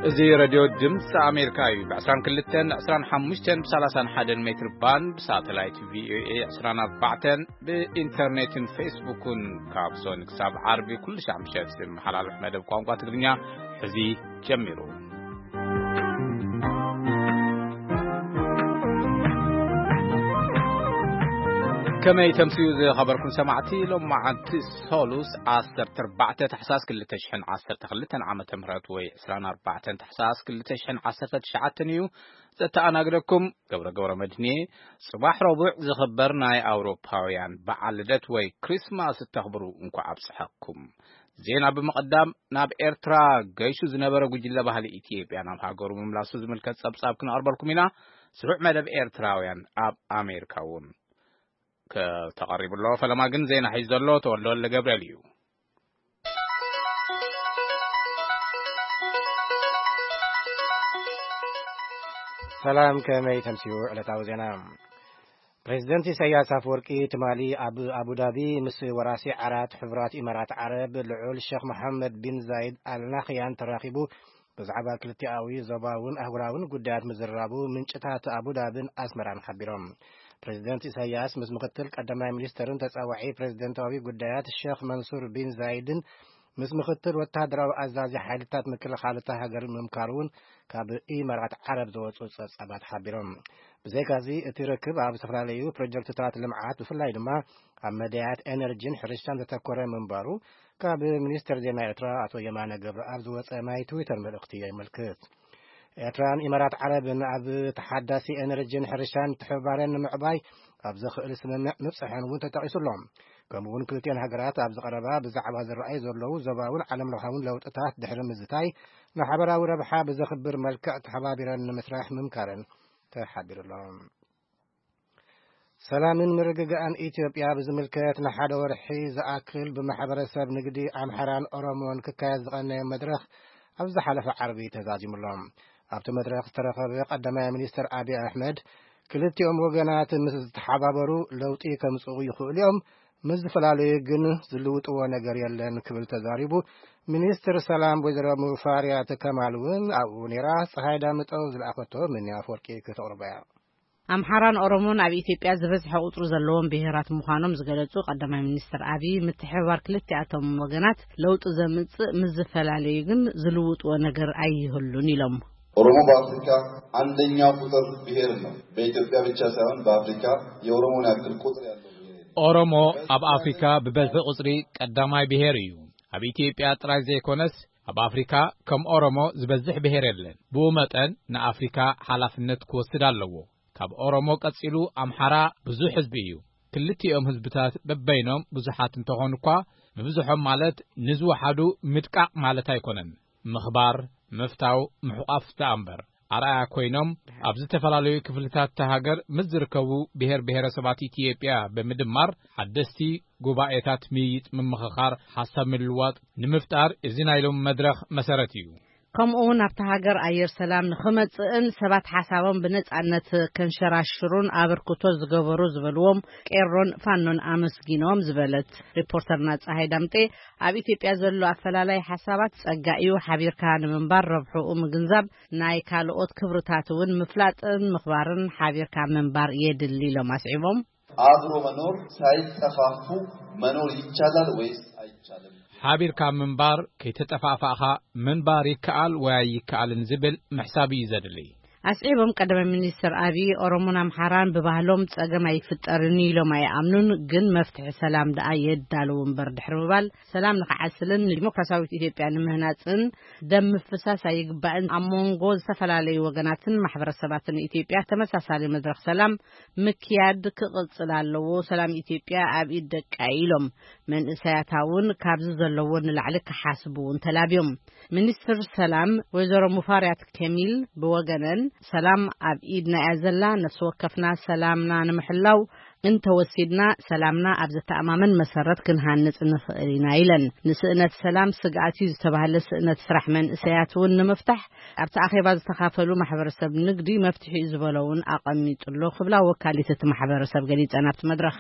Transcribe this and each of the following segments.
እዚ ሬድዮ ድምፂ ኣሜሪካ እዩ። ብ22፣ 25፣ ብ31 ሜትር ባንድ፣ ብሳተላይት ቪ ኦ ኤ 24፣ ብኢንተርኔትን ፌስቡክን ካብ ሶኒ ክሳብ ዓርቢ ኩሉ ሻዕ ምሸት ዝመሓላለፍ መደብ ቋንቋ ትግርኛ ሕዚ ጀሚሩ። ከመይ ተምስዩ ዝኸበርኩም ሰማዕቲ፣ ሎማዓንቲ ሶሉስ 14 ታሕሳስ 2012 ዓመተ ምህረት ወይ 24 ታሕሳስ 2019 እዩ። ዘተኣናግደኩም ገብረ ገብረ መድህንየ። ጽባሕ ረቡዕ ዝኽበር ናይ ኣውሮፓውያን በዓል ልደት ወይ ክሪስማስ እተኽብሩ እንኳዕ ኣብጽሐኩም። ዜና ብምቕዳም፣ ናብ ኤርትራ ገይሹ ዝነበረ ጉጅለ ባህሊ ኢትዮጵያ ናብ ሃገሩ ምምላሱ ዝምልከት ጸብጻብ ክነቕርበልኩም ኢና። ስሩዕ መደብ ኤርትራውያን ኣብ ኣሜሪካ እውን ከተቐሪቡ ኣሎ። ፈለማ ግን ዜና ሒዙ ዘሎ ተወልደ ወልደ ገብርኤል እዩ። ሰላም፣ ከመይ ተምስዩ ዕለታዊ ዜና? ፕሬዚደንት ኢሳያስ ኣፈወርቂ ትማሊ ኣብ ኣቡዳቢ ምስ ወራሲ ዓራት ሕቡራት ኢማራት ዓረብ ልዑል ሼኽ መሓመድ ቢን ዛይድ ኣልናህያን ተራኺቡ ብዛዕባ ክልቲኣዊ ዞባውን ኣህጉራውን ጉዳያት ምዝርራቡ ምንጭታት ኣቡዳብን ኣስመራን ሓቢሮም። ፕሬዚደንት ኢሳያስ ምስ ምክትል ቀዳማይ ሚኒስትርን ተጻዋዒ ፕሬዚደንታዊ ጉዳያት ሼኽ መንሱር ቢን ዛይድን ምስ ምክትል ወታደራዊ ኣዛዚ ሓይልታት ምክልኻል እታ ሃገር ምምካሩ እውን ካብ ኢማራት ዓረብ ዝወጹ ጸብጻባት ሓቢሮም። ብዘይካዚ፣ እቲ ርክብ ኣብ ዝተፈላለዩ ፕሮጀክትታት ልምዓት፣ ብፍላይ ድማ ኣብ መዳያት ኤነርጂን ሕርሻን ዘተኮረ ምንባሩ ካብ ሚኒስትር ዜና ኤርትራ ኣቶ የማነ ገብረኣብ ዝወጸ ናይ ትዊተር መልእኽቲ የመልክት። ኤርትራን ኢማራት ዓረብን ኣብ ተሓዳሲ ኤነርጂን ሕርሻን ምትሕብባረን ንምዕባይ ኣብ ዘኽእል ስምምዕ ምብጽሐን እውን ተጠቒሱ ኣሎ። ከምኡ እውን ክልቲኤን ሃገራት ኣብዚ ቀረባ ብዛዕባ ዝረኣዩ ዘለዉ ዞባውን ዓለም ለኻውን ለውጥታት ድሕሪ ምዝታይ ንሓበራዊ ረብሓ ብዘኽብር መልክዕ ተሓባቢረን ንምስራሕ ምምካረን ተሓቢሩ ኣሎ። ሰላምን ምርግጋእን ኢትዮጵያ ብዝምልከት ንሓደ ወርሒ ዝኣክል ብማሕበረሰብ ንግዲ ኣምሓራን ኦሮሞን ክካየድ ዝቐነየ መድረኽ ኣብ ዝሓለፈ ዓርቢ ተዛዚሙ ኣሎ። ኣብቲ መድረኽ ዝተረኸበ ቀዳማይ ሚኒስትር ኣብይ ኣሕመድ፣ ክልቲኦም ወገናት ምስ ዝተሓባበሩ ለውጢ ከምጽኡ ይኽእሉ እዮም፣ ምስ ዝተፈላለዩ ግን ዝልውጥዎ ነገር የለን ክብል ተዛሪቡ። ሚኒስትር ሰላም ወይዘሮ ሙፋሪያት ከማል እውን ኣብኡ ነይራ። ፀሃይ ዳምጠው ዝለኣኸቶ ምንያ ኣፈወርቂ ክተቕርቦ እያ። ኣምሓራን ኦሮሞን ኣብ ኢትዮጵያ ዝበዝሐ ቁጽሪ ዘለዎም ብሄራት ምዃኖም ዝገለጹ ቀዳማይ ሚኒስትር ኣብይ፣ ምትሕብባር ክልቲኣቶም ወገናት ለውጢ ዘምጽእ፣ ምስ ዝተፈላለዩ ግን ዝልውጥዎ ነገር ኣይህሉን ኢሎም። ኦሮሞ በአፍሪካ አንደኛው ቁጥር ብሔር ነው። በኢትዮጵያ ብቻ ሳይሆን በአፍሪካ የኦሮሞን ያክል ቁጥር ያለው ብሔር የለም። ኦሮሞ ኣብ ኣፍሪካ ብበዝሒ ቁጽሪ ቀዳማይ ብሔር እዩ። ኣብ ኢትዮጵያ ጥራይ ዘይኮነስ፣ ኣብ ኣፍሪካ ከም ኦሮሞ ዝበዝሕ ብሔር የለን። ብኡ መጠን ንኣፍሪካ ሓላፍነት ክወስድ ኣለዎ። ካብ ኦሮሞ ቀጺሉ ኣምሓራ ብዙሕ ህዝቢ እዩ። ክልቲኦም ህዝብታት በበይኖም ብዙሓት እንተኾኑ እኳ፣ ምብዝሖም ማለት ንዝወሓዱ ምድቃቕ ማለት ኣይኮነን። ምኽባር፣ ምፍታው፣ ምሕቋፍ ደኣ እምበር። ኣርኣያ ኮይኖም ኣብ ዝተፈላለዩ ክፍልታት እታ ሃገር ምስ ዝርከቡ ብሔር ብሔረሰባት ኢትዮጵያ ብምድማር ሓደስቲ ጉባኤታት ምይይጥ፣ ምምኽኻር፣ ሓሳብ ምልዋጥ ንምፍጣር እዚ ናይ ሎሚ መድረኽ መሰረት እዩ። ከምኡ እውን ኣብታ ሃገር ኣየር ሰላም ንኽመጽእን ሰባት ሓሳቦም ብነጻነት ከንሸራሽሩን ኣበርክቶ ዝገበሩ ዝበልዎም ቄሮን ፋኖን ኣመስጊኖም ዝበለት ሪፖርተርና ፀሃይ ዳምጤ፣ ኣብ ኢትዮጵያ ዘሎ ኣፈላላይ ሓሳባት ጸጋ እዩ፣ ሓቢርካ ንምንባር ረብሕኡ ምግንዛብ፣ ናይ ካልኦት ክብርታት እውን ምፍላጥን ምኽባርን ሓቢርካ ምንባር የድሊ ኢሎም ኣስዒቦም። አብሮ መኖር ሳይጠፋፉ መኖር ይቻላል ወይስ አይቻልም? ሓቢርካ ምንባር ከይተጠፋፋእኻ ምንባር ይከኣል ወይ ኣይከኣልን ዝብል ምሕሳብ እዩ ዘድሊ። ኣስዒቦም ቀዳማይ ሚኒስትር ኣብይ፣ ኦሮሞን ኣምሓራን ብባህሎም ጸገም ኣይፍጠርን ኢሎም ኣይኣምኑን፣ ግን መፍትሒ ሰላም ደኣ የዳልው እምበር ድሕሪ ምባል፣ ሰላም ንክዓስልን ንዲሞክራሲያዊት ኢትዮጵያ ንምህናጽን ደም ምፍሳስ ኣይግባእን፣ ኣብ መንጎ ዝተፈላለዩ ወገናትን ማሕበረሰባትን ኢትዮጵያ ተመሳሳሊ መድረኽ ሰላም ምክያድ ክቕጽል ኣለዎ። ሰላም ኢትዮጵያ ኣብ ኢድ ደቃ ኢሎም፣ መንእሰያታ እውን ካብዚ ዘለዎ ንላዕሊ ክሓስቡ እውን ተላብዮም። ሚኒስትር ሰላም ወይዘሮ ሙፋሪያት ከሚል ብወገነን፣ ሰላም ኣብ ኢድና እያ ዘላ። ነፍሲ ወከፍና ሰላምና ንምሕላው እንተወሲድና፣ ሰላምና ኣብ ዘተኣማምን መሰረት ክንሃንጽ ንኽእል ኢና ኢለን። ንስእነት ሰላም ስግኣት እዩ ዝተባህለ ስእነት ስራሕ መንእሰያት እውን ንምፍታሕ ኣብቲ ኣኼባ ዝተኻፈሉ ማሕበረሰብ ንግዲ መፍትሒ እዩ ዝበሎ እውን ኣቐሚጡ ኣሎ ክብላ ወካሊት እቲ ማሕበረሰብ ገሊጸን። ኣብቲ መድረኽ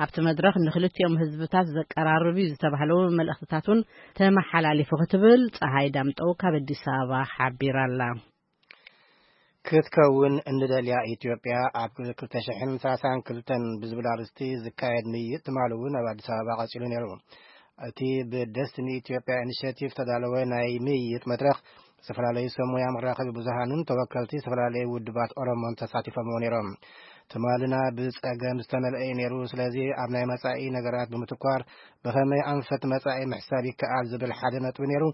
ኣብቲ መድረኽ ንክልቲኦም ህዝብታት ዘቀራርብ እዩ ዝተባህለዎ መልእኽትታት እውን ተመሓላሊፉ ክትብል ፀሃይ ዳምጠው ካብ ኣዲስ ኣበባ ሓቢራ ኣላ። ክትከውን እንደልያ ኢትዮጵያ ኣብ ክልተ ሽሕን ሰላሳን ክልተን ብዝብል ኣርእስቲ ዝካየድ ምይይጥ ትማሊ እውን ኣብ ኣዲስ ኣበባ ቀጺሉ ነይሩ። እቲ ብደስትኒ ኢትዮጵያ ኢኒሽቲቭ ዝተዳለወ ናይ ምይይጥ መድረኽ ዝተፈላለዩ ሰብ ሞያ መራኸቢ ብዙሃንን ተወከልቲ ዝተፈላለዩ ውድባት ኦሮሞን ተሳቲፎምዎ ነይሮም። ትማልና ብጸገም ዝተመልአ እዩ ነይሩ። ስለዚ ኣብ ናይ መጻኢ ነገራት ብምትኳር ብኸመይ ኣንፈት መጻኢ ምሕሳብ ይከኣል ዝብል ሓደ ነጥቢ ነይሩ።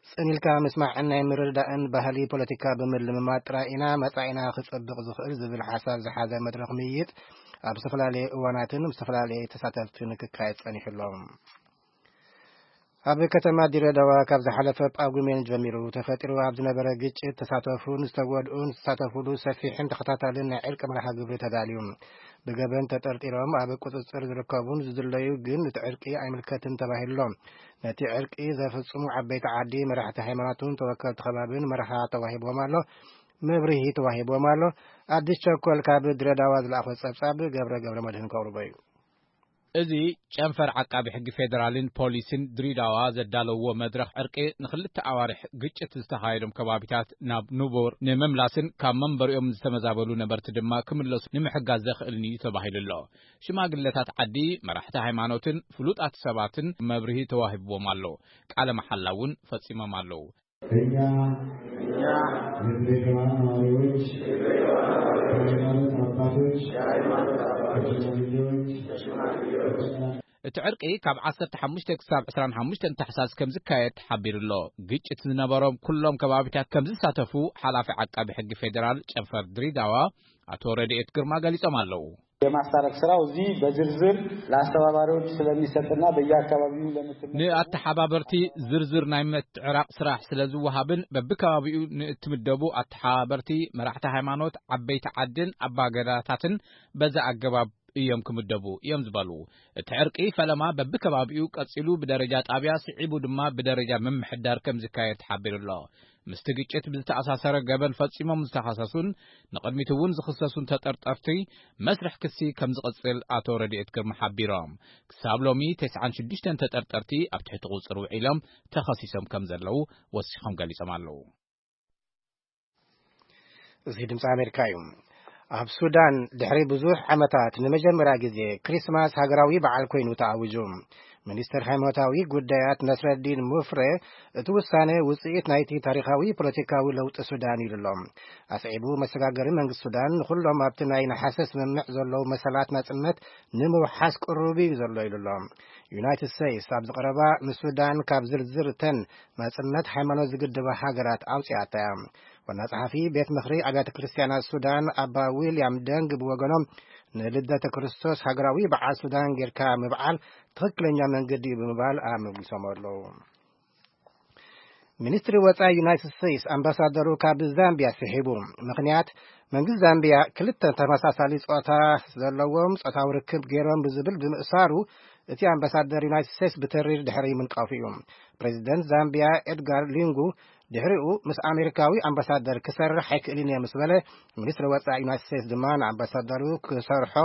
ጽን ኢልካ ምስማዕን ናይ ምርድዳእን ባህሊ ፖለቲካ ብምልምማድ ጥራይ ኢና መጻኢና ክጸብቕ ዝኽእል ዝብል ሓሳብ ዝሓዘ መድረኽ ምይይጥ ኣብ ዝተፈላለዩ እዋናትን ምስ ዝተፈላለዩ ተሳተፍትን ክካየድ ጸኒሑ ኣሎ። ኣብ ከተማ ድሬዳዋ ካብ ዝሓለፈ ጳጉሜን ጀሚሩ ተፈጢሩ ኣብ ዝነበረ ግጭት ተሳተፉን ዝተጎድኡን ዝተሳተፉሉ ሰፊሕን ተኸታታልን ናይ ዕርቂ መርሃ ግብሪ ተዳልዩ። ብገበን ተጠርጢሮም ኣብ ቁጽጽር ዝርከቡን ዝድለዩ ግን እቲ ዕርቂ ኣይምልከትን ተባሂሉ ኣሎ። ነቲ ዕርቂ ዘፍጽሙ ዓበይቲ ዓዲ፣ መራሕቲ ሃይማኖትን ተወከልቲ ከባብን መርሃ ተዋሂብዎም ኣሎ፣ መብርሂ ተዋሂብዎም ኣሎ። ኣዲስ ቸኮል ካብ ድሬዳዋ ዝለኣኾ ጸብጻብ ገብረ ገብረ መድህን ከቕርቦ እዩ። እዚ ጨንፈር ዓቃቢ ሕጊ ፌዴራልን ፖሊስን ድሬዳዋ ዘዳለውዎ መድረኽ ዕርቂ ንክልተ ኣዋርሕ ግጭት ዝተኻየዶም ከባቢታት ናብ ንቡር ንምምላስን ካብ መንበሪኦም ዝተመዛበሉ ነበርቲ ድማ ክምለሱ ንምሕጋዝ ዘኽእልን እዩ ተባሂሉ ኣሎ። ሽማግለታት ዓዲ፣ መራሕቲ ሃይማኖትን ፍሉጣት ሰባትን መብርሂ ተዋሂብዎም ኣሎ። ቃለ መሓላ እውን ፈጺሞም ኣለዉ። እኛ የድሬዳዋ ነዋሪዎች፣ የሃይማኖት አባቶች፣ ሽማግሌዎች፣ እቲ ዕርቂ ካብ ዓሰርተ ሓሙሽተ ክሳብ ዕስራን ሓሙሽተን ታሕሳስ ከም ዝካየድ ተሓቢሩ ኣሎ። ግጭት ዝነበሮም ኩሎም ከባቢታት ከም ዝሳተፉ ሓላፊ ዓቃቢ ሕጊ ፌዴራል ጨንፈር ድሬዳዋ ኣቶ ረድኤት ግርማ ገሊጾም ኣለዉ። የማስታረቅ ስራው እዚህ በዝርዝር ለአስተባባሪዎች ስለሚሰጥና በየአካባቢው ለምትመ- ንኣተሓባበርቲ ዝርዝር ናይ ምትዕራቕ ስራሕ ስለ ዝወሃብን በብከባቢኡ ንእትምደቡ ኣተሓባበርቲ መራሕቲ ሃይማኖት፣ ዓበይቲ ዓድን ኣባገዳታትን በዛ ኣገባብ እዮም ክምደቡ እዮም ዝበሉ። እቲ ዕርቂ ፈለማ በብከባቢኡ ቀጺሉ ብደረጃ ጣብያ፣ ስዒቡ ድማ ብደረጃ ምምሕዳር ከም ዝካየድ ተሓቢሩ ኣሎ። ምስቲ ግጭት ብዝተኣሳሰረ ገበን ፈጺሞም ዝተኸሰሱን ንቕድሚት እውን ዝኽሰሱን ተጠርጠርቲ መስርሕ ክሲ ከም ዝቕጽል ኣቶ ረድኤት ግርማ ሓቢሮም። ክሳብ ሎሚ ተስዓን ሽዱሽተን ተጠርጠርቲ ኣብ ትሕቲ ቁጽሪ ውዒሎም ተኸሲሶም ከም ዘለዉ ወሲኾም ገሊጾም ኣለዉ። እዚ ድምፂ ኣሜሪካ እዩ። ኣብ ሱዳን ድሕሪ ብዙሕ ዓመታት ንመጀመርያ ግዜ ክሪስማስ ሃገራዊ በዓል ኮይኑ ተኣዊጁ። ሚኒስትር ሃይማኖታዊ ጉዳያት ነስረዲን ሙፍሬ እቲ ውሳነ ውፅኢት ናይቲ ታሪኻዊ ፖለቲካዊ ለውጢ ሱዳን ኢሉ ኣሎ። ኣስዒቡ መሰጋገሪ መንግስቲ ሱዳን ንኩሎም ኣብቲ ናይ ነሓሰ ስምምዕ ዘለዉ መሰላት ናጽነት ንምውሓስ ቅሩብ እዩ ዘሎ ኢሉ ኣሎ። ዩናይትድ ስቴትስ ኣብዚ ቀረባ ንሱዳን ካብ ዝርዝር እተን ናጽነት ሃይማኖት ዝግድባ ሃገራት ኣውጺኣታ እያ። ዋና ጸሓፊ ቤት ምኽሪ ኣብያተ ክርስትያናት ሱዳን ኣባ ዊልያም ደንግ ብወገኖም ንልደተ ክርስቶስ ሃገራዊ በዓል ሱዳን ጌርካ ምብዓል ትኽክለኛ መንገዲ እዩ ብምባል ኣመጒሶም ኣለዉ። ሚኒስትሪ ወጻኢ ዩናይትድ ስቴትስ ኣምባሳደሩ ካብ ዛምቢያ ስሒቡ። ምኽንያት፣ መንግስቲ ዛምቢያ ክልተ ተመሳሳሊ ጾታ ዘለዎም ጾታዊ ርክብ ገይሮም ብዝብል ብምእሳሩ እቲ ኣምባሳደር ዩናይትድ ስቴትስ ብተሪር ድሕሪ ምንቃፉ እዩ። ፕሬዚደንት ዛምቢያ ኤድጋር ሊንጉ ድሕሪኡ ምስ ኣሜሪካዊ ኣምባሳደር ክሰርሕ ኣይክእልን እየ ምስ በለ፣ ሚኒስትሪ ወጻኢ ዩናይትድ ስቴትስ ድማ ንኣምባሳደሩ ክሰርሖ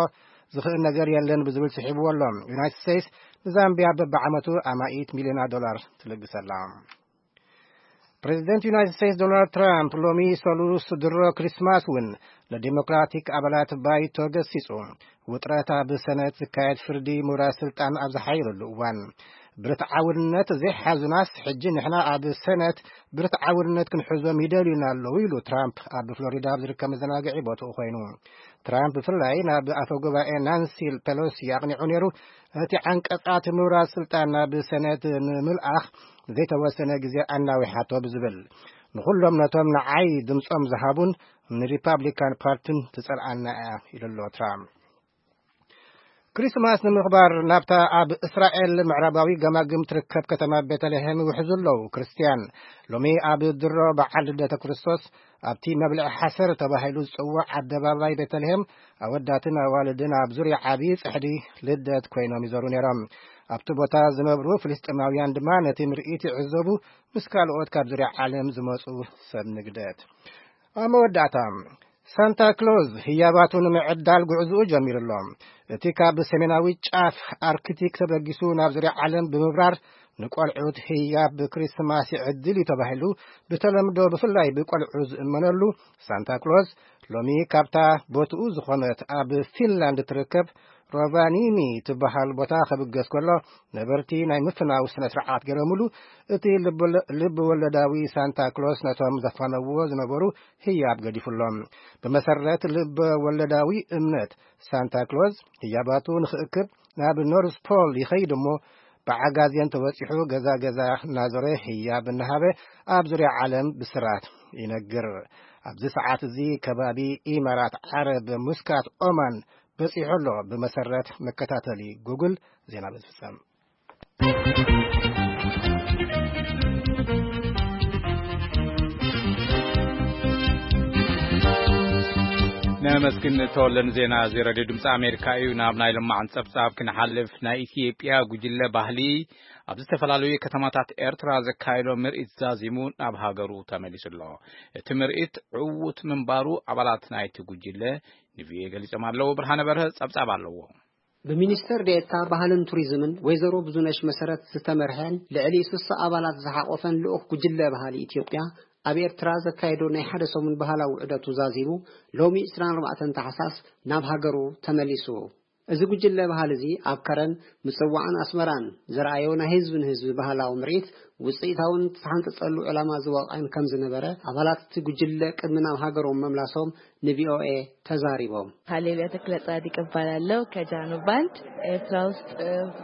ዝኽእል ነገር የለን ብዝብል ስሒብዎ ኣሎ። ዩናይትድ ስቴትስ ንዛምቢያ በብዓመቱ ኣማኢት ሚልዮናት ዶላር ትልግሰላ። ፕሬዚደንት ዩናይትድ ስቴትስ ዶናልድ ትራምፕ ሎሚ ሰሉስ ድሮ ክሪስማስ እውን ንዲሞክራቲክ ኣባላት ባይቶ ገሲጹ። ውጥረት ኣብ ሰነት ዝካየድ ፍርዲ ምውራስ ስልጣን ኣብ ዝሓየለሉ እዋን፣ ብርትዓውነት ዘይሓዙናስ ሕጂ ንሕና ኣብ ሰነት ብርትዓውነት ክንሕዞም ይደልዩና ኣለዉ ኢሉ ትራምፕ ኣብ ፍሎሪዳ ኣብ ዝርከብ መዘናግዒ ቦትኡ ኮይኑ። ትራምፕ ብፍላይ ናብ ኣፈ ጉባኤ ናንሲ ፔሎሲ ኣቕኒዑ ነይሩ። እቲ ዓንቀጻት ምውራስ ስልጣን ናብ ሰነት ንምልኣኽ ዘይተወሰነ ግዜ ኣናዊሓቶ ብዝብል፣ ንኹሎም ነቶም ንዓይ ድምጾም ዝሃቡን ንሪፓብሊካን ፓርቲን ትጸልኣና እያ ኢሉ ኣሎ ትራምፕ። ክሪስማስ ንምኽባር ናብታ ኣብ እስራኤል ምዕራባዊ ገማግም ትርከብ ከተማ ቤተልሔም ይውሕዙ ኣለዉ። ክርስትያን ሎሚ ኣብ ድሮ በዓል ልደተ ክርስቶስ ኣብቲ መብልዒ ሓሰር ተባሂሉ ዝጽዋዕ ኣደባባይ ቤተልሔም ኣወዳትን ኣዋልድን ኣብ ዙርያ ዓቢ ጽሕዲ ልደት ኮይኖም ይዘሩ ነይሮም። ኣብቲ ቦታ ዝነብሩ ፍልስጤማውያን ድማ ነቲ ምርኢት ይዕዘቡ፣ ምስ ካልኦት ካብ ዙርያ ዓለም ዝመጹ ሰብ ንግደት። ኣብ መወዳእታ፣ ሳንታ ክሎዝ ህያባቱ ንምዕዳል ጉዕዝኡ ጀሚሩ ኣሎ። እቲ ካብ ሰሜናዊ ጫፍ ኣርክቲክ ተበጊሱ ናብ ዙርያ ዓለም ብምብራር ንቆልዑት ህያብ ብክሪስማስ ይዕድል እዩ ተባሂሉ ብተለምዶ ብፍላይ ብቆልዑ ዝእመነሉ ሳንታ ክሎዝ ሎሚ ካብታ ቦትኡ ዝኾነት ኣብ ፊንላንድ ትርከብ ሮቫኒሚ ትበሃል ቦታ ከብገስ ከሎ ነበርቲ ናይ ምፍናው ስነ ስርዓት ገረምሉ። እቲ ልብ ወለዳዊ ሳንታ ክሎዝ ነቶም ዘፋነዎ ዝነበሩ ህያብ ገዲፉሎም። ብመሰረት ልብ ወለዳዊ እምነት ሳንታ ክሎዝ ህያባቱ ንኽእክብ ናብ ኖርዝ ፖል ይኸይድ እሞ ብዓጋዜን ተወጺሑ ገዛ ገዛ እናዞረ ህያብ እናሃበ ኣብ ዙርያ ዓለም ብስራት ይነግር። ኣብዚ ሰዓት እዚ ከባቢ ኢማራት ዓረብ ሙስካት ኦማን በጺሑ ኣሎ። ብመሰረት መከታተሊ ጉግል ዜና ብዝፍጸም ነመስግን ተወለን ዜና እዚ ሬድዮ ድምፂ ኣሜሪካ እዩ። ናብ ናይ ልማዕን ፀብፃብ ክንሓልፍ ናይ ኢትዮጵያ ጉጅለ ባህሊ ኣብ ዝተፈላለዩ ከተማታት ኤርትራ ዘካየዶ ምርኢት ዛዚሙ ናብ ሃገሩ ተመሊሱ ኣሎ። እቲ ምርኢት ዕዉት ምንባሩ ኣባላት ናይቲ ጉጅለ ንቪኦኤ ገሊጾም ኣለዉ። ብርሃነ በርሀ ጸብጻብ ኣለዎ። ብሚኒስትር ዴኤታ ባህልን ቱሪዝምን ወይዘሮ ብዙነሽ መሰረት ዝተመርሐን ልዕሊ ስሳ ኣባላት ዝሓቆፈን ልኡኽ ጉጅለ ባህሊ ኢትዮጵያ ኣብ ኤርትራ ዘካየዶ ናይ ሓደ ሰሙን ባህላዊ ዑደቱ ዛዚሙ ሎሚ ዕስራን ኣርባዕተን ታሕሳስ ናብ ሃገሩ ተመሊሱ። እዚ ጉጅለ ባህሊ እዚ ኣብ ከረን ምጽዋዕን ኣስመራን ዘርኣዮ ናይ ህዝቢ ንህዝቢ ባህላዊ ምርኢት ውጽኢታውን ዝተሓንጸጸሉ ዕላማ ዝወቕዐን ከም ዝነበረ ኣባላት እቲ ጉጅለ ቅድሚ ናብ ሃገሮም መምላሶም ንቪኦኤ ተዛሪቦም። ሃሌሉያ ተክለ ጻድቅ እባላለሁ። ከጃኖ ባንድ ኤርትራ ውስጥ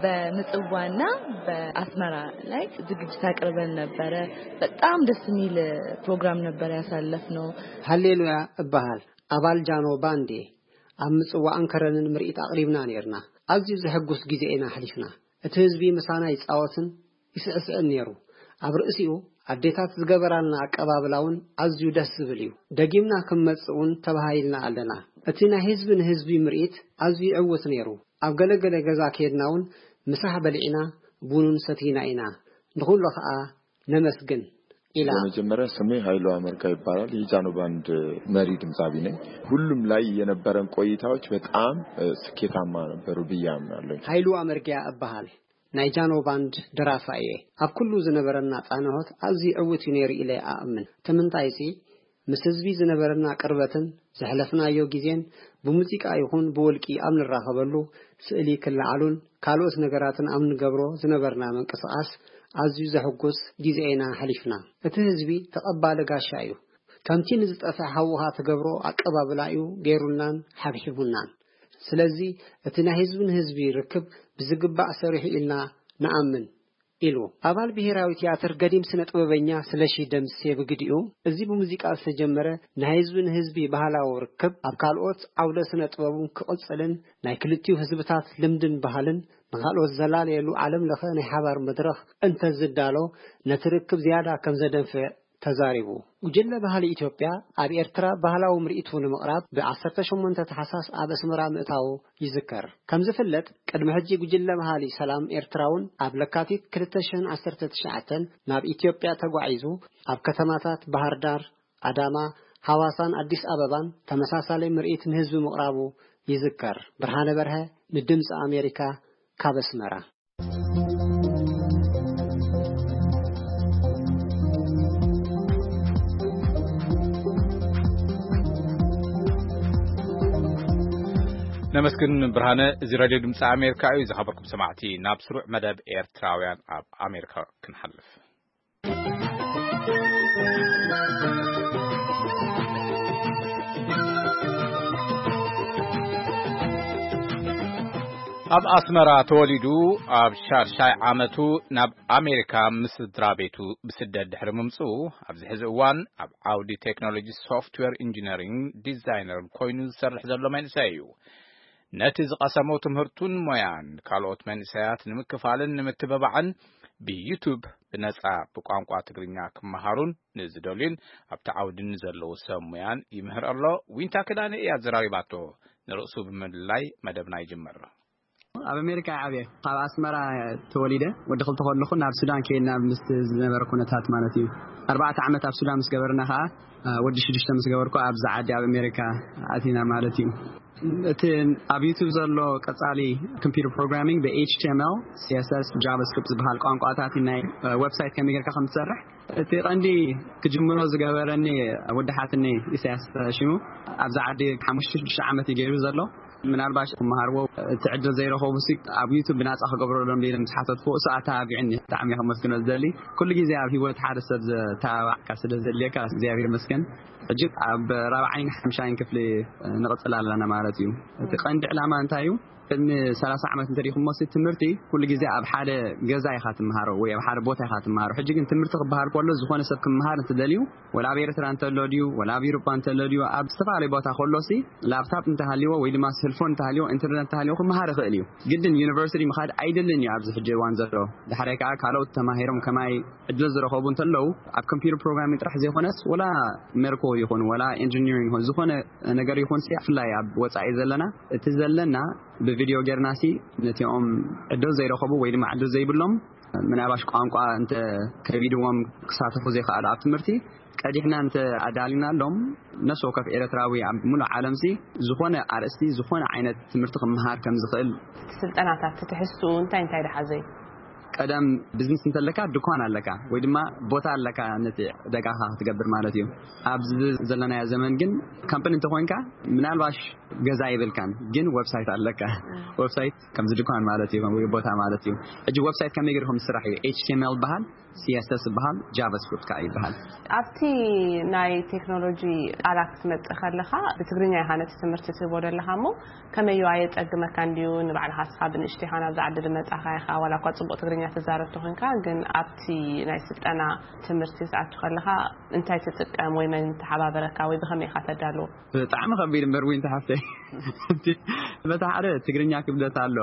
በምጽዋና በአስመራ ላይ ዝግጅት አቅርበን ነበረ። በጣም ደስ የሚል ፕሮግራም ነበር ያሳለፍነው። ሃሌሉያ እባሃል። ኣባል ጃኖ ባንድ እየ። ኣብ ምጽዋዕን ከረንን ምርኢት ኣቕሪብና ኔርና። ኣዝዩ ዘሐጉስ ግዜ ኢና ኣሕሊፍና። እቲ ህዝቢ ምሳና ይጻወትን ይስዕስዕን ኔሩ። ኣብ ርእሲኡ ኣዴታት ዝገበራልና ኣቀባብላ እውን ኣዝዩ ደስ ዝብል እዩ። ደጊምና ክንመጽእ እውን ተባሃሂልና ኣለና። እቲ ናይ ህዝቢ ንህዝቢ ምርኢት ኣዝዩ ዕዉት ኔሩ። ኣብ ገለገለ ገዛ ከየድና እውን ምሳሕ በሊዕና ቡኑን ሰቲና ኢና። ንኹሎ ኸኣ ነመስግን ኢላ። በመጀመሪያ ስሜ ኃይሉ አመርካ ይባላል። የጃኖ ባንድ መሪ ድምፃዊ ነኝ። ሁሉም ላይ የነበረን ቆይታዎች በጣም፣ እ፣ ስኬታማ ነበሩ ብዬ አምናለሁ። ኃይሉ አመርጊያ እበሃል። ናይ ጃኖ ባንድ ደራፋ እየ። ኣብ ኩሉ ዝነበረና ጻንሖት ኣዝዩ ዕዉት እዩ ነይሩ ኢለ እኣምን። እቲ ምንታይሲ ምስ ህዝቢ ዝነበረና ቅርበትን ዘሕለፍናዮ ግዜን ብሙዚቃ ይኹን ብውልቂ ኣብ ንራኸበሉ፣ ስእሊ ክለዓሉን ካልኦት ነገራትን ኣብ ንገብሮ ዝነበርና ምንቅስቓስ ኣዝዩ ዘሕጉስ ግዜ ኢና ኣሕሊፍና። እቲ ህዝቢ ተቐባሊ ጋሻ እዩ። ከምቲ ንዝጠፍአ ሓውኻ ትገብሮ ኣቀባብላ እዩ ገይሩልናን ሓብሒቡናን። ስለዚ እቲ ናይ ህዝቢ ንህዝቢ ርክብ ብዝግባእ ሰሪሑ ኢልና ንኣምን። ኢሉ። ኣባል ብሄራዊ ትያትር ገዲም ስነ ጥበበኛ ስለሺ ደምሴ ብግዲኡ፣ እዚ ብሙዚቃ ዝተጀመረ ናይ ህዝቢ ንህዝቢ ባህላዊ ርክብ ኣብ ካልኦት ዓውደ ስነ ጥበብ እውን ክቕጽልን ናይ ክልቲኡ ህዝብታት ልምድን ባህልን ንኻልኦት ዘላለየሉ ዓለም ለኸ ናይ ሓባር መድረኽ እንተዝዳሎ ነቲ ርክብ ዝያዳ ከም ዘደንፍዕ ተዛሪቡ። ጉጅለ ባህሊ ኢትዮጵያ ኣብ ኤርትራ ባህላዊ ምርኢቱ ንምቕራብ ብ ዓሰርተ ሸሞንተ ታሕሳስ ኣብ ኣስመራ ምእታዉ ይዝከር። ከም ዝፍለጥ፣ ቅድሚ ሕጂ ጉጅለ ባህሊ ሰላም ኤርትራ እውን ኣብ ለካቲት ክልተ ሽሕን ዓሰርተ ትሽዓተን ናብ ኢትዮጵያ ተጓዒዙ ኣብ ከተማታት ባህር ዳር፣ ኣዳማ፣ ሃዋሳን ኣዲስ ኣበባን ተመሳሳሊ ምርኢት ንህዝቢ ምቕራቡ ይዝከር። ብርሃነ በርሀ ንድምፂ ኣሜሪካ ካብ ኣስመራ። ነመስግን ብርሃነ። እዚ ሬድዮ ድምፂ ኣሜሪካ እዩ። ዝኸበርኩም ሰማዕቲ፣ ናብ ስሩዕ መደብ ኤርትራውያን ኣብ ኣሜሪካ ክንሓልፍ። ኣብ ኣስመራ ተወሊዱ ኣብ ሻድሻይ ዓመቱ ናብ ኣሜሪካ ምስ ስድራ ቤቱ ብስደት ድሕሪ ምምጽኡ፣ ኣብዚ ሕዚ እዋን ኣብ ዓውዲ ቴክኖሎጂ ሶፍትዌር ኢንጂነሪንግ ዲዛይነር ኮይኑ ዝሰርሕ ዘሎ መንእሰይ እዩ። ነቲ ዝቐሰሞ ትምህርቱን ሞያን ካልኦት መንእሰያት ንምክፋልን ንምትብባዕን ብዩቱብ ብነጻ ብቋንቋ ትግርኛ ክመሃሩን ንዝደልዩን ኣብቲ ዓውዲ ንዘለዉ ሰብ ሙያን ይምህር ኣሎ። ዊንታ ክዳነ እያ ዘራሪባቶ። ንርእሱ ብምልላይ መደብና ይጅምር። ኣብ ኣሜሪካ ዓብየ ካብ ኣስመራ ተወሊደ ወዲ ክልተ ከለኹ ናብ ሱዳን ከይድና ምስ ዝነበረ ኩነታት ማለት እዩ። ኣርባዕተ ዓመት ኣብ ሱዳን ምስ ገበርና ከዓ ወዲ ሽዱሽተ ምስ ገበርኩ ኣብዚ ዓዲ ኣብ ኣሜሪካ ኣቲና ማለት እዩ። እቲ ኣብ ዩቱብ ዘሎ ቀጻሊ ኮምፒውተር ፕሮግራሚንግ ብ ኤች ቲ ኤም ኤል፣ ሲ ኤስ ኤስ፣ ጃቫስክሪፕት ዝበሃል ቋንቋታት ናይ ዌብሳይት ከመይ ጌርካ ከም ትሰርሕ እቲ ቀንዲ ክጅምሮ ዝገበረኒ ወዲ ሓትኒ ኢሳያስ ሽሙ ኣብዚ ዓዲ ሓሙሽተ ሽዱሽተ ዓመት እዩ ገይሩ ዘሎ። ምናልባሽ ክመሃርዎ እቲ ዕድል ዘይረኸቡ ሲ ኣብ ዩቱብ ብናጻ ክገብረሎም ኢለ ምስ ሓተትኩ እሱ ኣተባቢዕኒ። ብጣዕሚ እየ ከመስግኖ ዝደሊ። ኩሉ ግዜ ኣብ ህይወት ሓደ ሰብ ዘተባባዕካ ስለ ዘድልየካ እግዚኣብሔር ይመስገን። ሕጂ ኣብ ራብዓይን ሓምሻይን ክፍሊ ንቕጽል ኣለና ማለት እዩ። እቲ ቀንዲ ዕላማ እንታይ እዩ? ቅድሚ ሰላሳ ዓመት እንተሪኹሞ ሲ ትምህርቲ ኩሉ ግዜ ኣብ ሓደ ገዛ ኢኻ ትመሃሮ ወይ ኣብ ሓደ ቦታ ኢኻ ትመሃሮ። ሕጂ ግን ትምህርቲ ክበሃል ከሎ ዝኾነ ሰብ ክመሃር እንትደልዩ ወላ ኣብ ኤርትራ እንተሎ ድዩ ወላ ኣብ ኤውሮጳ እንተሎ ድዩ ኣብ ዝተፈላለዩ ቦታ ከሎ ሲ ላፕታፕ እንተሃልይዎ ወይ ድማ ስልፎን እንተሃልይዎ ኢንተርነት እንተሃልይዎ ክመሃር ይኽእል እዩ። ግድን ዩኒቨርሲቲ ምኻድ ኣይደልን እዩ ኣብዚ ሕጂ እዋን ዘሎ። ዳሕራይ ከዓ ካልኦት ተማሂሮም ከማይ ዕድል ዝረኸቡ እንተለዉ ኣብ ኮምፒውተር ፕሮግራሚንግ ጥራሕ ዘይኮነስ ወላ ሜርኮ ይኹን ወላ ኢንጂኒሪንግ ይኹን ዝኾነ ነገር ይኹን ሲ ብፍላይ ኣብ ወጻኢ ዘለና እቲ ዘለና ብቪድዮ ጌርና ሲ ነቲኦም ዕድል ዘይረኸቡ ወይ ድማ ዕድል ዘይብሎም ምናልባሽ ቋንቋ እንተ ከቢድዎም ክሳተፉ ዘይከኣሉ ኣብ ትምህርቲ ቀዲሕና እንተ ኣዳሊናሎም ነፍሲ ወከፍ ኤርትራዊ ኣብ ሙሉእ ዓለም ሲ ዝኾነ ኣርእስቲ ዝኾነ ዓይነት ትምህርቲ ክመሃር ከም ዝኽእል። ስልጠናታት ትሕዝትኡ እንታይ እንታይ ደሓዘ እዩ? ቀደም ቢዝነስ እንተለካ ድኳን ኣለካ ወይ ድማ ቦታ ኣለካ ነቲ ዕዳጋኻ ክትገብር ማለት እዩ። ኣብዚ ዘለናዮ ዘመን ግን ካምፓኒ እንተኾይንካ ምናልባሽ ገዛ ይብልካን ግን ዌብሳይት ኣለካ። ዌብሳይት ከምዚ ድኳን ማለት እዩ ወይ ቦታ ማለት እዩ። ሕጂ ዌብሳይት ከመይ ገይርኩም ዝስራሕ እዩ? ኤች ቲ ኤም ኤል ይበሃል፣ ሲ ኤስ ኤስ ይበሃል፣ ጃቫስክሪፕት ከዓ ይበሃል። ኣብቲ ናይ ቴክኖሎጂ ቃላት ክትመጽእ ከለኻ ብትግርኛ ኢኻ ነቲ ትምህርቲ ትህቦ ዘለኻ እሞ ከመይ እዩ ኣየጸግመካ እንድዩ? ንባዕልኻ እስኻ ብንእሽተይኻ ናብዚ ዓዲ ዝመጻኻ ኢኻ ዋላ እኳ ጽቡቕ ትግርኛ ትዛረብ ተኾንካ ግን ኣብቲ ናይ ስልጠና ትምህርቲ ዝኣቱ ከለኻ እንታይ ትጥቀም ወይ መን ተሓባበረካ ወይ ብኸመይ ኢኻ ተዳልዎ? ብጣዕሚ ከቢድ እምበር ዊንታ ሓፍተይ። በታ ሓደ ትግርኛ ክብደት ኣሎ።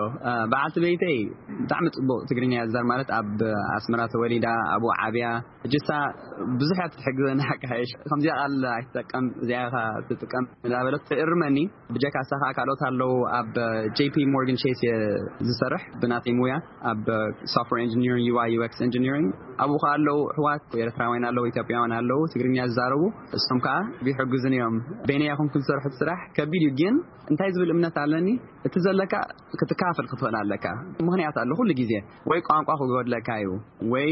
በዓልቲ ቤተይ ብጣዕሚ ጽቡቕ ትግርኛ እያ ትዛረብ ማለት ኣብ ኣስመራ ተወሊዳ ኣብኡ ዓብያ። ሕጂ እሳ ብዙሕ እያ ትሕግዘና። ሓቂ ሓይሽ ከምዚኣ ቃል ኣይትጠቀም እዚኣ ኢኻ ትጥቀም እንዳበለት ትእርመኒ። ብጀካ እሳ ከዓ ካልኦት ኣለዉ ኣብ ጄ ፒ ሞርጋን ቼስ እየ ዝሰርሕ ብናተይ ሙያ ኣብ ሶፍትዌር ኢንጂኒሪንግ ዩ ኣይ ዩ ኤክስ ኢንጂኒሪንግ ኣብኡ ከዓ ኣለዉ ኣሕዋት ኤርትራውያን ኣለዉ ኢትዮጵያውያን ኣለዉ ትግርኛ ዝዛረቡ እሶም ከዓ ይሕግዙን እዮም። በይነይ ኣይኮንኩን ዝሰርሑ እቲ ስራሕ ከቢድ እዩ ግን እንታይ ዝብል እምነት ኣለኒ እቲ ዘለካ ክትካፈል ክትኽእል ኣለካ። ምኽንያት ኣሎ ኩሉ ግዜ ወይ ቋንቋ ክጎድለካ እዩ ወይ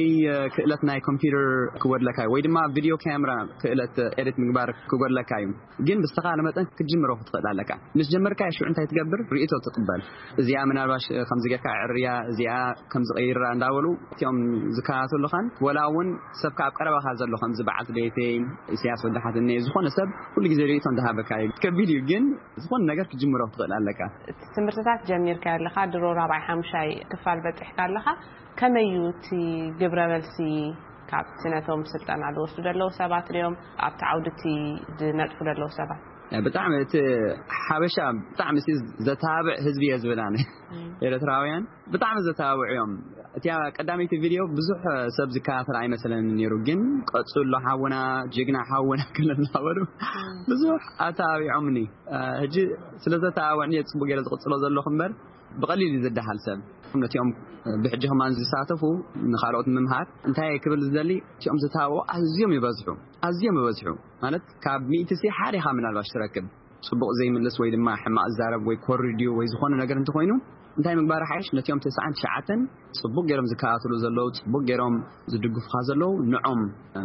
ክእለት ናይ ኮምፒውተር ክጎድለካ እዩ ወይ ድማ ቪድዮ ካሜራ ክእለት ኤዲት ምግባር ክጎድለካ እዩ። ግን ብዝተኻለ መጠን ክትጅምሮ ክትኽእል ኣለካ። ምስ ጀመርካ ሽዑ እንታይ ትገብር ርእቶ ትቕበል። እዚኣ ምናልባሽ ከምዚ ጌርካ ዕርያ እዚኣ ከምዚ ቀይራ እንዳበሉ እቲኦም ዝከታተሉኻን ወላ እውን ሰብካ ኣብ ቀረባኻ ዘሎ ከምዚ በዓልቲ ቤተይ ኢሳያስ ወዲ ሓትኒ ዝኾነ ሰብ ኩሉ ግዜ ርእቶ እንዳሃበካ እዩ። ከቢድ እዩ ግን ዝኾነ ነገር ክትጅምሮ ክትኽእል ኣለካ። ትምህርትታት ጀሚርካ ኣለኻ ድሮ ራብዓይ ሓምሻይ ክፋል በፂሕካ ኣለኻ። ከመይ እዩ እቲ ግብረ መልሲ ካብቲ ነቶም ስልጠና ዝወስዱ ዘለዉ ሰባት ድዮም ኣብቲ ዓውዲ እቲ ዝነጥፉ ዘለዉ ሰባት? ብጣዕሚ እቲ ሓበሻ ብጣዕሚ ሲ ዘተባብዕ ህዝቢ እየ ዝብል ኣነ። ኤርትራውያን ብጣዕሚ ዘተባብዑ እዮም። እቲያ ቀዳመይቲ ቪድዮ ብዙሕ ሰብ ዝከታተል ኣይመሰለኒ ነይሩ ግን ቀጽሎ ሓውና ጅግና ሓውና ክለናበሩ ብዙሕ ኣተባቢዖምኒ። ሕጂ ስለ ዘተባብዑኒ እየ ጽቡቅ ገይረ ዝቕጽሎ ዘለኹ እምበር ብቐሊል እዩ ዝደሃል ሰብ። ነቲኦም ብሕጂ ከማን ዝሳተፉ ንኻልኦት ምምሃር እንታይ ክብል ዝደሊ እቲኦም ዝተባብዑ ኣዝዮም ይበዝሑ። ኣዝዮም ይበዝሑ ማለት ካብ ሚእቲ ሲ ሓደ ኢኻ ምናልባሽ ትረክብ። ጽቡቕ ዘይምልስ ወይ ድማ ሕማቕ ዝዛረብ ወይ ኮሪ ድዩ ወይ ዝኾነ ነገር እንተኾይኑ እንታይ ምግባር ሓይሽ ነቲኦም ተስዓን ትሽዓተን ጽቡቕ ገይሮም ዝከታተሉ ዘለዉ ጽቡቕ ገይሮም ዝድግፉኻ ዘለዉ ንዖም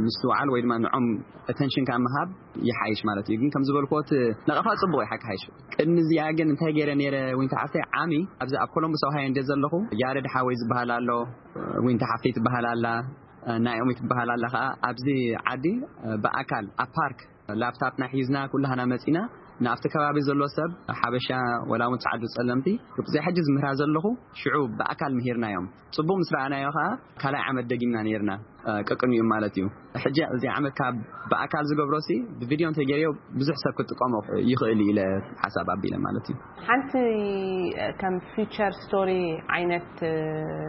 ምስትውዓል ወይ ድማ ንዖም ኣተንሽንካ ምሃብ ይሓይሽ ማለት እዩ። ግን ከም ዝበልክዎ እቲ ነቐፋ ጽቡቕ እዩ ሓቂ ሓይሽ። ቅድሚ እዚኣ ግን እንታይ ገይረ ነይረ ዊንታ ሓፍተይ ዓሚ ኣብዚ ኣብ ኮሎምቡስ ኦሃዮ እንደ ዘለኹ ያረድ ሓወይ ዝበሃል ኣሎ ዊንታ ሓፍተይ ትበሃል ኣላ ናይኦም ትበሃል ኣላ ከዓ ኣብዚ ዓዲ ብኣካል ኣብ ፓርክ ላፕታፕና ሒዝና ኩላህና መፂና ናብቲ ከባቢ ዘሎ ሰብ ሓበሻ፣ ወላ እውን ጻዕዱ ጸለምቲ፣ ርብዚኣ ሕጂ ዝምህራ ዘለኹ ሽዑ ብኣካል ምሂርናዮም። ጽቡቕ ምስ ረኣናዮ ከኣ ካልኣይ ዓመት ደጊምና ነይርና፣ እ፣ ቅቅንኡ ማለት እዩ። ሕጂ እዚ ዓመት ካብ ብኣካል ዝገብሮሲ ብቪድዮ እንተገይረዮ ብዙሕ ሰብ ክጥቀሞ ይኽእል እዩ ኢለ ሓሳብ ኣቢለ ማለት እዩ። ሓንቲ ከም ፊቸር ስቶሪ ዓይነት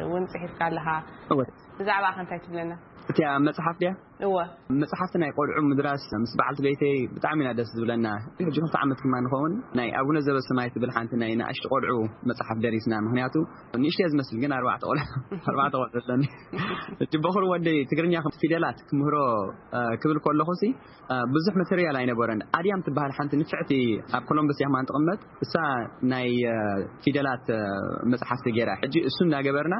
እውን ጽሒፍካ ኣለኻ። እወ። ብዛዕባ ከ እንታይ ትብለና? እቲኣ መጽሓፍ ድያ? እወ። መጽሓፍቲ ናይ ቆልዑ ምድራስ ምስ በዓልቲ ቤተይ ብጣዕሚ ኢና ደስ ዝብለና። ሕጂ ክልተ ዓመት ድማ ንኸውን ናይ ኣቡነ ዘበሰማይ ትብል ሓንቲ ናይ ንኣሽቱ ቆልዑ መጽሓፍ ደሪስና። ምኽንያቱ ንእሽተይ ዝመስል ግን ኣርባዕተ ቆልዑ፣ ኣርባዕተ ቆልዑ ኣለኒ። ሕጂ በኹር ወደይ ትግርኛ ከም ፊደላት ክምህሮ፣ እ፣ ክብል ከለኹ ሲ፣ እ፣ ብዙሕ ማተርያል ኣይነበረን። ኣድያም ትበሃል ሓንቲ ንፍዕቲ ኣብ ኮሎምበስ እያ ከማን ትቕመጥ። እሳ ናይ፣ እ፣ ፊደላት፣ እ፣ መጽሓፍቲ ገይራ። ሕጂ እሱ እናገበርና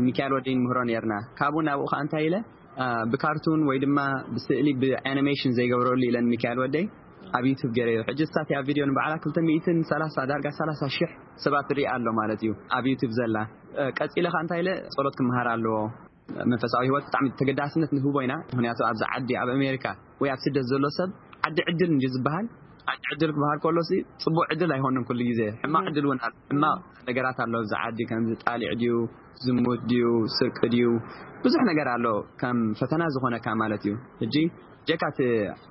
ሚካኤል ወደይ ንምህሮ ነይርና። ካብኡ ናብኡ ከኣ እንታይ ኢለ፣ እ፣ ብካርቱን ወይ ድማ ብስእሊ ብኣኒሜሽን ዘይገብረሉ ኢለን ሚካኤል ወደይ ኣብ ዩቱብ ገይረዮ። ሕጂ እሳ እቲኣ ቪድዮ ንባዕላ ክልተ ሚእትን ሰላሳ፣ ዳርጋ ሰላሳ ሽሕ ሰባት ትርኢ ኣሎ ማለት እዩ ኣብ ዩቱብ ዘላ። እ፣ ቀጺለ ከኣ እንታይ ኢለ፣ ጸሎት ክመሃር ኣለዎ። መንፈሳዊ ህይወት ብጣዕሚ ተገዳስነት ንህቦ ኢና። ምኽንያቱ ኣብዚ ዓዲ ኣብ ኣሜሪካ ወይ ኣብ ስደት ዘሎ ሰብ ዓዲ ዕድል እንዲ ዝበሃል፣ ዓዲ ዕድል ክበሃል ከሎሲ ጽቡቕ ዕድል ኣይኮነን ኩሉ ግዜ። ሕማቕ ዕድል እውን ኣሎ። ሕማቕ ነገራት ኣሎ ኣብዚ ዓዲ፣ ከምዚ ጣሊዕ ድዩ፣ ዝሙት ድዩ፣ ስርቂ ድዩ፣ ብዙሕ ነገር ኣሎ ከም ፈተና ዝኾነካ ማለት እዩ። ሕጂ ጀካ እቲ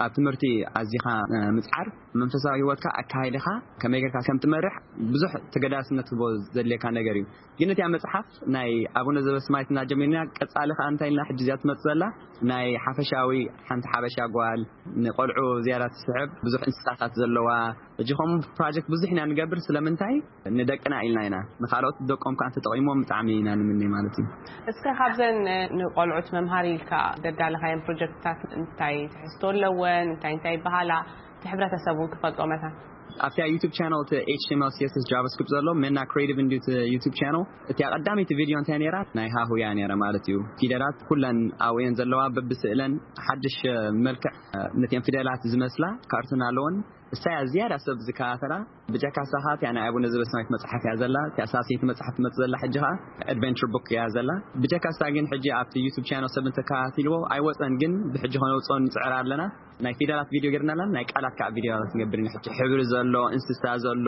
ኣብ ትምህርቲ ኣዚኻ፣ እ፣ ምጽዓር፣ መንፈሳዊ ህይወትካ፣ ኣካይድኻ ከመይ ጌርካ ከም ትመርሕ ብዙሕ ተገዳስነት ክህቦ ዘድልየካ ነገር እዩ። ግን እቲኣ መጽሓፍ ናይ ኣቡነ ዘበስማይት እና ጀሚርና፣ ቀጻሊ ከኣ እንታይ ኢልና ሕጂ እዚኣ ትመጽእ ዘላ ናይ ሓፈሻዊ ሓንቲ ሓበሻ ጓል ንቆልዑ ዝያዳ ትስሕብ፣ ብዙሕ እንስሳታት ዘለዋ። ሕጂ ከምኡ ፕሮጀክት ብዙሕ ኢና ንገብር። ስለምንታይ? ንደቅና ኢልና ኢና። ንኻልኦት ደቆም ከኣ እንተጠቒሞም ብጣዕሚ ኢና ንምነ ማለት እዩ። እስከ ካብዘን ንቆልዑት መምሃሪ ኢልካ ዘዳለኻየን ፕሮጀክትታት እንታይ ትሕዝቶ ኣለወን? እንታይ እንታይ ይበሃላ? እቲ ሕብረተሰብ እውን ክፈልጦ መታን። ኣብታ ዩቱብ ቻነል እቲ ኤች ቲ ኤም ኤል ሲ ኤስ ኤስ ጃቫስክሪፕት ዘሎ ሜና ክሬቲቭ እንድዩ እቲ ዩቱብ ቻነል። እቲኣ ቀዳመይቲ ቪድዮ እንታይ ነይራ? ናይ ሃሁ እያ ነይራ ማለት እዩ። ፊደላት ኩለን ኣብኡ እየን ዘለዋ፣ በብስእለን ሓድሽ መልክዕ ነቲአን ፊደላት ዝመስላ ካርቱን ኣለወን። እሳያ ዝያዳ ሰብ ዝከታተላ። ብጀካ ሳኻ እቲኣ ናይ ኣቡነ ዘበሰማያት መጽሓፍ እያ ዘላ። እቲኣ ሳልሰይቲ መጽሓፍ ትመጽእ ዘላ ሕጂ ኸኣ ኣድቨንቸር ቡክ እያ ዘላ። ብጀካ እሳ ግን ሕጂ ኣብቲ ዩቱብ ቻነል ሰብ እንተከታቲልዎ ኣይወጸን፣ ግን ብሕጂ ከነውጽኦ ንጽዕር ኣለና። ናይ ፊደላት ቪድዮ ጌርና ኣለና፣ ናይ ቃላት ከኣ ቪድዮታት ንገብር ኢና። ሕጂ ሕብሪ ዘሎ፣ እንስሳ ዘሎ፣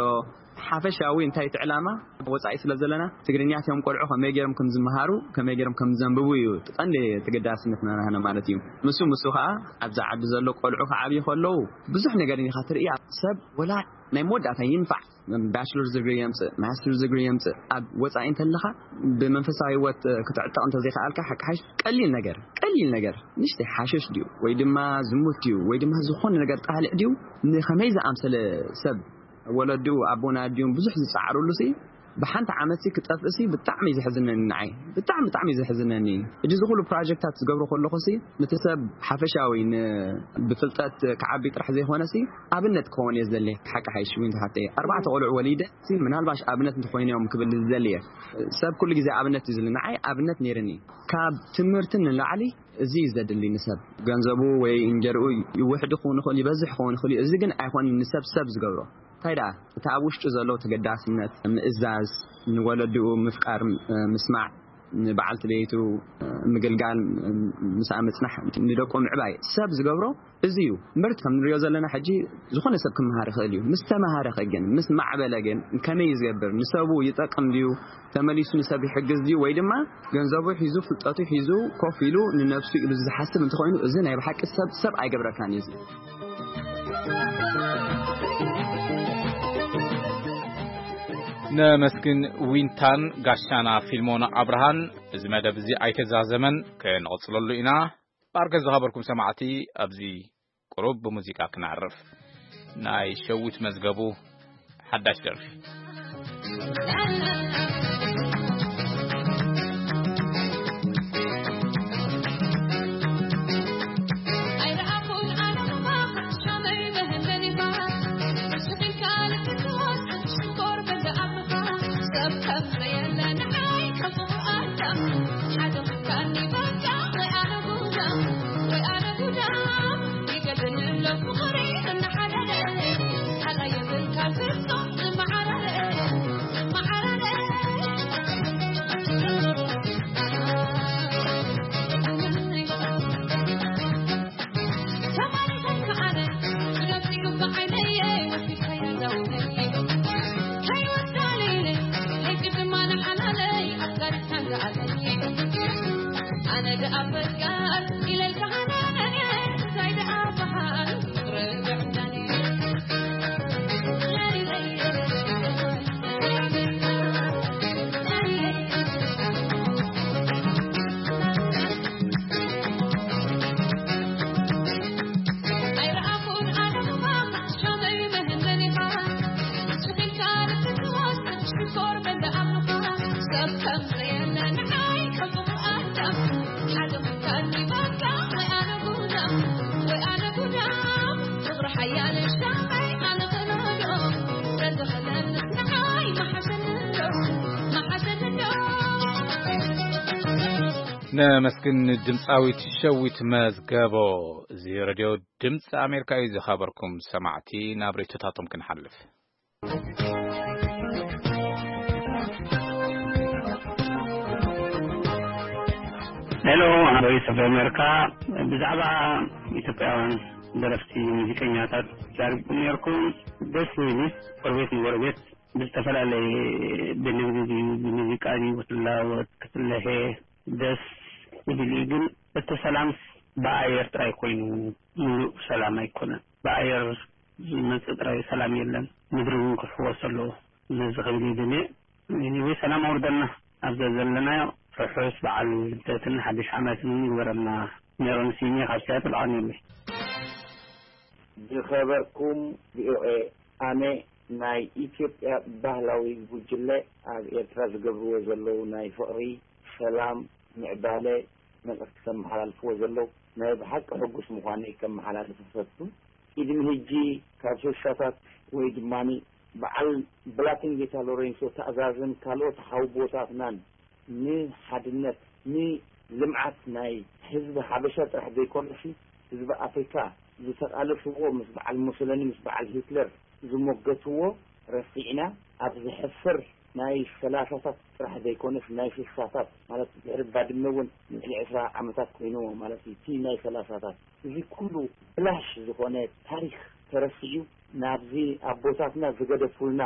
ሓፈሻዊ እንታይ እቲ ዕላማ ወጻኢ ስለ ዘለና፣ ትግርኛ እቲኦም ቆልዑ ከመይ ገይሮም ከም ዝመሃሩ፣ ከመይ ገይሮም ከም ዘንብቡ እዩ እቲ ቀንዲ ተገዳስነትና ናህና ማለት እዩ። ምስ፣ ምስ ከኣ ኣብዚ ዓዲ ዘሎ ቆልዑ ክዓብዩ ከለዉ ብዙሕ ነገር ኢኻ ትርኢ። ሰብ ወላ ናይ መወዳእታ ይንፋዕ ባችለር ዲግሪ የምጽእ፣ ማስተር ዲግሪ የምጽእ፣ ኣብ ወጻኢ እንተለኻ ብመንፈሳዊ ህይወት ክትዕጠቕ እንተዘይከኣልካ፣ ሓቂ ሓሽ ቀሊል ነገር፣ ቀሊል ነገር፣ ንእሽተይ ሓሽሽ ድዩ ወይ ድማ ዝሙት ድዩ ወይ ድማ ዝኾነ ነገር ጣልዕ ድዩ፣ ንኸመይ ዝኣምሰለ ሰብ ወለድኡ ኣቦን ኣዲኡን ብዙሕ ዝጸዓሩሉ ሲ፣ ብሓንቲ ዓመት ሲ ክጠፍእ ሲ ብጣዕሚ እዩ ዘሕዝነኒ ንዓይ። ብጣዕሚ፣ ብጣዕሚ እዩ ዘሕዝነኒ። ሕጂ እዚ ኩሉ ፕሮጀክታት ዝገብሮ ከለኹ ሲ፣ ነቲ ሰብ ሓፈሻዊ ን-፣ ብፍልጠት ክዓቢ ጥራሕ ዘይኮነ ሲ፣ ኣብነት ክኸውን እየ ዝደሊ። ሓቂ ሓይሽ ዊንታ ሓፍተይ፣ ኣርባዕተ ቆልዑ ወሊደ ሲ፣ ምናልባሽ ኣብነት እንተኾይኖም ክብል ዝደሊ እየ። ሰብ ኩሉ ግዜ ኣብነት እዩ ዝብል። ንዓይ ኣብነት ነይርኒ። ካብ ትምህርቲ ንላዕሊ እዚ እዩ ዘድሊ ንሰብ። ገንዘቡ ወይ እንጀርኡ ይውሕድ ክኸውን ይኽእል፣ ይበዝሕ ክኸውን ይኽእል እዩ። እዚ ግን ኣይኮነን ንሰብ ሰብ ዝገብሮ። እንታይ ደኣ፣ እቲ ኣብ ውሽጡ ዘሎ ተገዳስነት፣ ምእዛዝ፣ ንወለድኡ ምፍቃር፣ እ፣ ምስማዕ፣ ንበዓልቲ ቤቱ፣ እ፣ ምግልጋል፣ እ፣ ምስኣ ምጽናሕ፣ ንደቁ ምዕባይ ሰብ ዝገብሮ እዚ እዩ። ምርት ከም ንሪኦ ዘለና ሕጂ ዝኾነ ሰብ ክመሃር ይኽእል እዩ። ምስ ተመሃረ ኸ ግን፣ ምስ ማዕበለ ግን ከመይ እዩ ዝገብር? ንሰቡ ይጠቅም ድዩ? ተመሊሱ ንሰብ ይሕግዝ ድዩ? ወይ ድማ ገንዘቡ ሒዙ፣ ፍልጠቱ ሒዙ፣ ኮፍ ኢሉ ንነብሱ ኢሉ ዝሓስብ እንተኾይኑ፣ እዚ ናይ ብሓቂ ሰብ ሰብ ኣይገብረካን እዩ። እዚ ነመስግን ዊንታን ጋሻና ፊልሞን ኣብርሃን። እዚ መደብ እዚ ኣይተዛዘመን፣ ክንቕጽለሉ ኢና። ባርከ ዝኸበርኩም ሰማዕቲ፣ ኣብዚ ቁሩብ ብሙዚቃ ክነዕርፍ። ናይ ሸዊት መዝገቡ ሓዳሽ ደርፊ። ሓያለ ሻማይ ኣነ ክነዶ፣ ተዝኽለል ንዓይ መሓሸኒ ዶ፣ መሓሸኒ ዶ። ነመስግን ድምፃዊት ሸዊት መዝገቦ። እዚ ሬድዮ ድምፂ ኣሜሪካ እዩ። ዝኸበርኩም ሰማዕቲ፣ ናብ ሬቶታቶም ክንሓልፍ። ሄሎ፣ ቮይስ ኦፍ ኣሜሪካ። ብዛዕባ ኢትዮጵያውያን ደረፍቲ፣ ሙዚቀኛታት ዛሪብኩም ነርኩም። ደስ ዝብል እዩ። ጎረቤት ንጎረቤት ብዝተፈላለየ፣ ብንግዲ ድዩ፣ ብሙዚቃ ድዩ፣ ክትላወጥ፣ ክትለሄ፣ ደስ ዝብል እዩ። ግን እቲ ሰላምስ ብኣየር ጥራይ ኮይኑ፣ ሙሉእ ሰላም ኣይኮነን። ብኣየር ዝመጽእ ጥራይ ሰላም የለን። ምድሪ እውን ክሕወስ ኣለዎ። ነዚ ክብል ይደሊ። ኤኒወይ፣ ሰላም ኣውርደልና። ኣብ ዘዘለናዮ ርሑስ በዓል ልደትን ሓድሽ ዓመትን ይግበረልና። ሜሮን ሲኒ ካብ ሲያትል ኣቐንየለይ። ዝኸበርኩም ቪኦኤ፣ ኣነ ናይ ኢትዮጵያ ባህላዊ ጉጅለ ኣብ ኤርትራ ዝገብርዎ ዘለዉ ናይ ፍቕሪ፣ ሰላም፣ ምዕባለ መልእኽቲ ከመሓላልፍዎ ዘለዉ ናይ ብሓቂ ሕጉስ ምዃነይ ከመሓላልፍ እፈቱ። ቅድሚ ሕጂ ካብ ሽሻታት ወይ ድማኒ በዓል ብላቴንጌታ ሎሬንሶ ተኣዛዝን ካልኦት ሓውቦታትናን ንሓድነት፣ ንልምዓት ናይ ህዝቢ ሓበሻ ጥራሕ ዘይኮነሲ ህዝቢ ኣፍሪካ ዝተቃለስዎ ምስ በዓል ሙሶሎኒ፣ ምስ በዓል ሂትለር ዝሞገትዎ ረሲዕና ኣብ ዘሕፍር ናይ ሰላሳታት ጥራሕ ዘይኮነስ ናይ ስሳታት ማለት ድሕሪ ባድመ እውን ልዕሊ ዕስራ ዓመታት ኮይንዎ ማለት እዩ። እቲ ናይ ሰላሳታት እዚ ኩሉ ብላሽ ዝኾነ ታሪክ ተረሲዑ ናብዚ ኣቦታትና ዝገደፉልና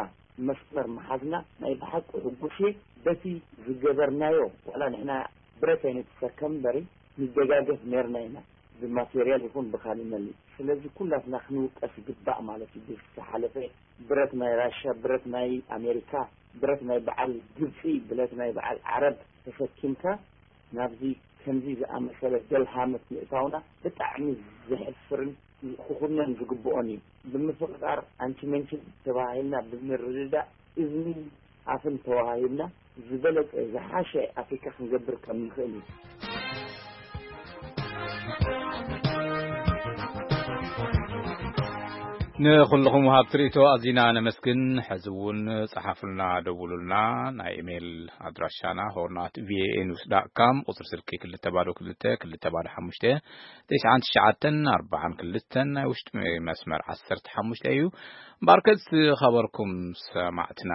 መስመር ምሓዝና ናይ ብሓቂ ሕጉስ እየ። በቲ ዝገበርናዮ ዋላ ንሕና ብረት ኣይንትሰከም እምበሪ ንደጋገፍ ነርና ኢና ብማቴርያል ይኹን ብካሊእ መሊእ። ስለዚ ኩላትና ክንውቀስ ይግባእ ማለት እዩ። ብዝተሓለፈ ብረት ናይ ራሻ፣ ብረት ናይ ኣሜሪካ፣ ብረት ናይ በዓል ግብፂ፣ ብረት ናይ በዓል ዓረብ ተሰኪምካ ናብዚ ከምዚ ዝኣመሰለ ደልሃመት ምእታውና ብጣዕሚ ዘሕፍርን ክኹነን ዝግብኦን እዩ። ብምፍቕቃር ኣንቺ መንቺ ተባሂልና ብምርድዳእ እዝኒ ኣፍን ተዋሃሂብና ዝበለጸ ዝሓሸ ኣፍሪካ ክንገብር ከም ንኽእል እዩ። ንኹልኹም ወሃብቲ ርእይቶ ኣዚና ነመስግን። ሕዚ እውን ጸሓፉልና፣ ደውሉልና። ናይ ኢሜይል ኣድራሻና ሆርናት ቪኦኤ ኒውስ ዳት ካም፣ ቁጽሪ ስልኪ ክልተ ባዶ ክልተ ክልተ ባዶ ሓሙሽተ፣ ተስዓን ትሽዓተን ኣርባዓን ክልተን፣ ናይ ውሽጢ መስመር ዓሰርተ ሓሙሽተ እዩ። እምበኣርከስ ዝኸበርኩም ሰማዕትና፣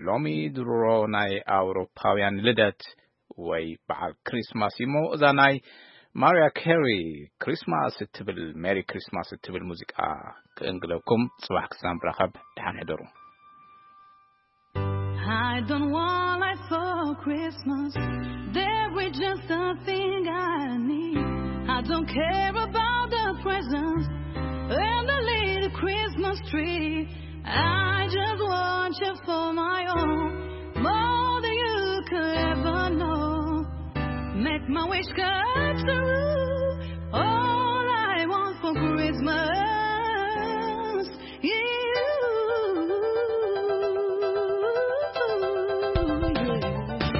ሎሚ ድሮ ናይ ኣውሮፓውያን ልደት ወይ በዓል ክሪስማስ እዩ እሞ፣ እዛ ናይ ማርያ ኬሪ ክሪስማስ እትብል፣ ሜሪ ክሪስማስ እትብል ሙዚቃ ክእንግደኩም። ጽባሕ ክሳብ ንራኸብ፣ ደሓን ሕደሩ። I don't want lights for Christmas. There is just a thing I need. I don't care about the presents and the little Christmas tree. I just want you for my own, more than you could ever know. Make my wish come true. All I want for Christmas is you.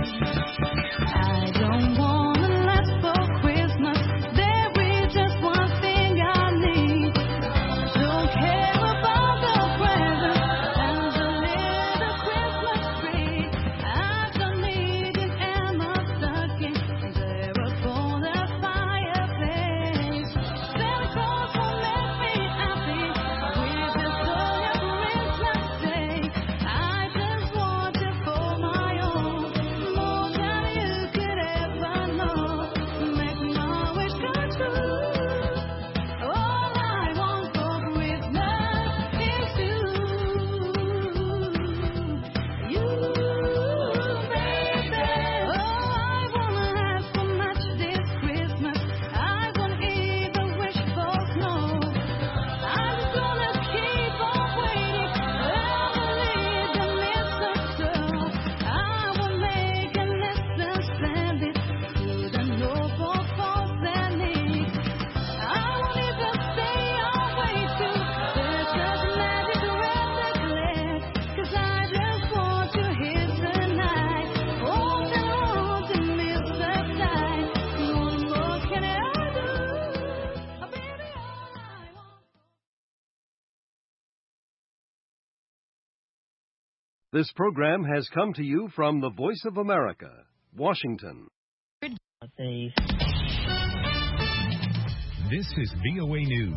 I don't want a lot for Christmas. There is just one thing I need. Don't care about the presents and the little Christmas tree. I don't need it in my stocking. There upon the fire. This program has come to you from the Voice of America, Washington. This is V O A News.